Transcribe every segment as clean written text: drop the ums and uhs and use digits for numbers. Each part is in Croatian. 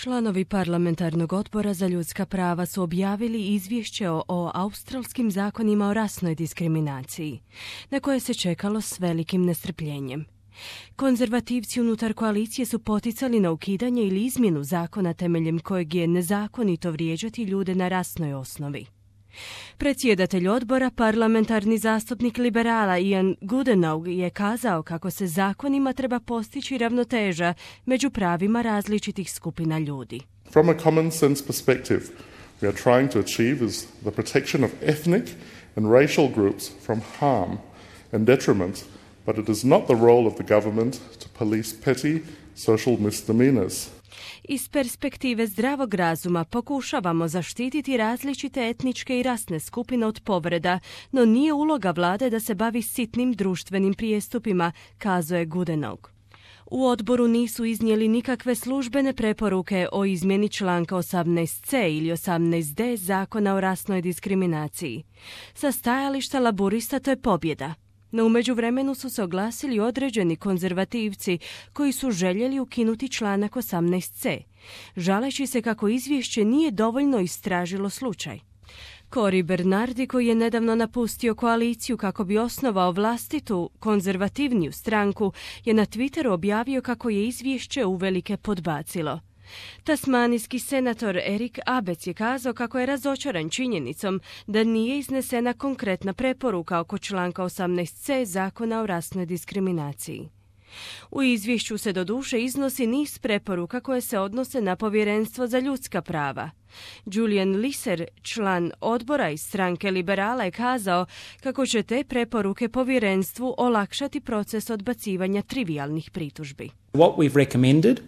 Članovi parlamentarnog odbora za ljudska prava su objavili izvješće o australskim zakonima o rasnoj diskriminaciji, na koje se čekalo s velikim nestrpljenjem. Konzervativci unutar koalicije su poticali na ukidanje ili izmjenu zakona temeljem kojeg je nezakonito vrijeđati ljude na rasnoj osnovi. Predsjedatelj odbora, parlamentarni zastupnik liberala Ian Goodenough je kazao kako se zakonima treba postići ravnoteža među pravima različitih skupina ljudi. From a common sense perspective, we are trying to achieve is the protection of ethnic and racial groups from harm and detriment, but it is not the role of the government to police petty social misdemeanors. Iz perspektive zdravog razuma pokušavamo zaštititi različite etničke i rasne skupine od povreda, no nije uloga vlade da se bavi sitnim društvenim prijestupima, kazao je Goodenough. U odboru nisu iznijeli nikakve službene preporuke o izmjeni članka 18c ili 18d zakona o rasnoj diskriminaciji. Sa stajališta laburista to je pobjeda. No u međuvremenu su se oglasili određeni konzervativci koji su željeli ukinuti članak 18c, žaleći se kako izvješće nije dovoljno istražilo slučaj. Cory Bernardi, koji je nedavno napustio koaliciju kako bi osnovao vlastitu konzervativniju stranku, je na Twitteru objavio kako je izvješće uvelike podbacilo. Tasmanijski senator Eric Abetz je kazao kako je razočaran činjenicom da nije iznesena konkretna preporuka oko članka 18c zakona o rasnoj diskriminaciji. U izvješću se doduše iznosi niz preporuka koje se odnose na Povjerenstvo za ljudska prava. Julian Lisser, član odbora iz stranke liberala, je kazao kako će te preporuke povjerenstvu olakšati proces odbacivanja trivijalnih pritužbi. What we've recommended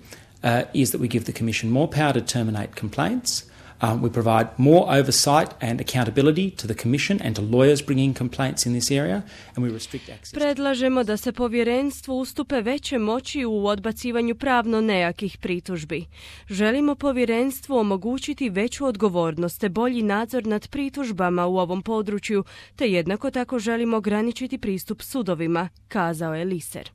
is that we give the Commission more power to terminate complaints. We provide more oversight and accountability to the Commission and to lawyers bringing complaints in this area, and we restrict access. Predlažemo da se povjerenstvu ustupe veće moći u odbacivanju pravno nejakih pritužbi. Želimo povjerenstvu omogućiti veću odgovornost te bolji nadzor nad pritužbama u ovom području, te jednako tako želimo ograničiti pristup sudovima, kazao je Lisser.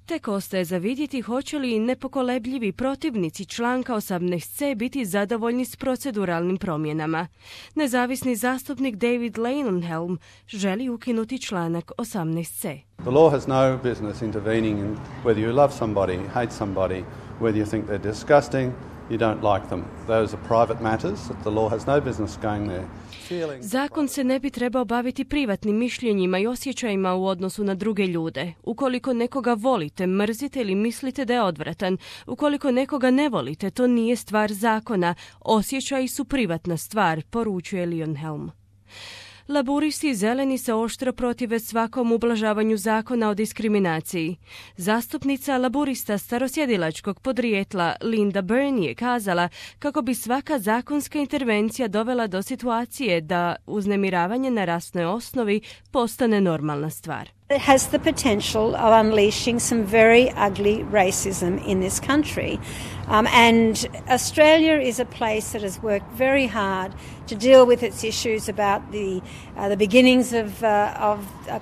Tek ostaje za vidjeti hoće li nepokolebljivi protivnici članka 18c biti zadovoljni s proceduralnim promjenama. Nezavisni zastupnik David Leyonhjelm želi ukinuti članak 18c. The law has no business intervening in whether you love somebody, hate somebody, whether you think they're disgusting, you don't like them. Those are private matters that the law has no business going there. Zakon se ne bi trebao baviti privatnim mišljenjima i osjećajima u odnosu na druge ljude. Ukoliko nekoga volite, mrzite ili mislite da je odvratan, ukoliko nekoga ne volite, to nije stvar zakona, osjećaji su privatna stvar, poručuje Leyonhjelm. Laburisti i zeleni se oštro protive svakom ublažavanju zakona o diskriminaciji. Zastupnica laburista starosjedilačkog podrijetla Linda Byrne je kazala kako bi svaka zakonska intervencija dovela do situacije da uznemiravanje na rasnoj osnovi postane normalna stvar. It has the potential of unleashing some very ugly racism in this country. And Australia is a place that has worked very hard to deal with its issues about the beginnings of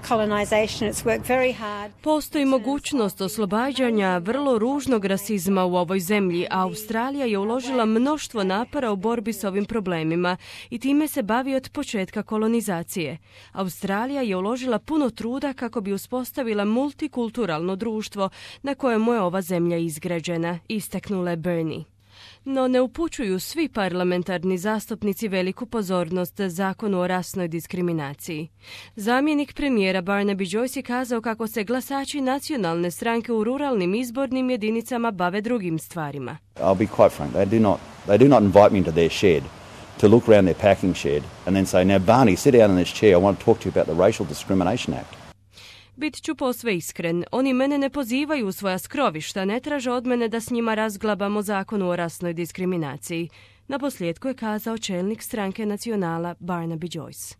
colonization. It's worked very hard. Postoji mogućnost oslobađanja vrlo ružnog rasizma u ovoj zemlji, a Australija je uložila mnoštvo napora u borbi s ovim problemima i time se bavi od početka kolonizacije. Australija je uložila puno truda kako bi uspostavila multikulturalno društvo na kojemu je ova zemlja izgrađena, istaknula Byrne. No ne upućuju svi parlamentarni zastupnici veliku pozornost zakonu o rasnoj diskriminaciji. Zamjenik premijera Barnaby Joyce je kazao kako se glasači nacionalne stranke u ruralnim izbornim jedinicama bave drugim stvarima. I'll be quite frank, they do not invite me into their shed to look around their packing shed and then say, now Barney, sit down in this chair, I want to talk to you about the Racial Discrimination Act. Bit ću posve iskren, oni mene ne pozivaju u svoja skrovišta, ne traže od mene da s njima razglabamo zakonu o rasnoj diskriminaciji. Naposljetku je kazao čelnik stranke Nacionala Barnaby Joyce.